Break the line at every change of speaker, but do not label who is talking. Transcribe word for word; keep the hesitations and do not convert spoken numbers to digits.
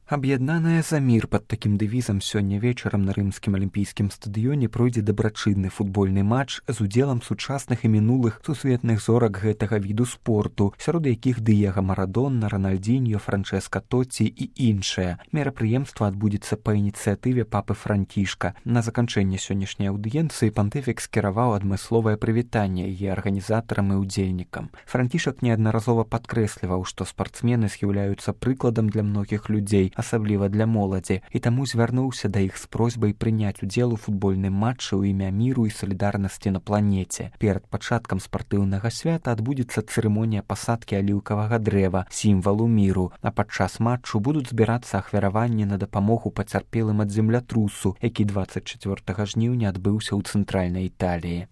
Аб'яднаная за мір пад такім дэвізам сёння вечарам на рымскім алімпійскім стадыёне пройдзе дабрачынны футбольны матч з удзелам сучасных і мінулых сусветных зорак гэтага віду спорту, сярод якіх Дыега Марадона, Рональдзіньо, Франчэска Тоці і іншыя. Мерапрыемства адбудзецца па ініцыятыве папы Францішка. На заканчэнне сённяшняй аўдыенцыі пантыфік скіраваў адмысловае прывітанне яе арганізатарам і ўдзельнікам. Францішак неаднаразова падкрэсліваў, што спартсмены з'яўляюцца прыкладам для многіх людзей, асабліва для моладзі, і таму звярнуўся да іх з просьбай прыняць удзел у футбольным матчы ў імя міру і салідарнасці на планеце. Перад пачаткам спартыўнага свята адбудзецца цырымонія пасадкі аліўкавага дрэва, сімвалу міру, а падчас матчу будуць збірацца ахвяраванні на дапамогу пацярпелым ад землятрусу, які дваццаць чацвёртага жніўня адбыўся ў цэнтральнай Італіі.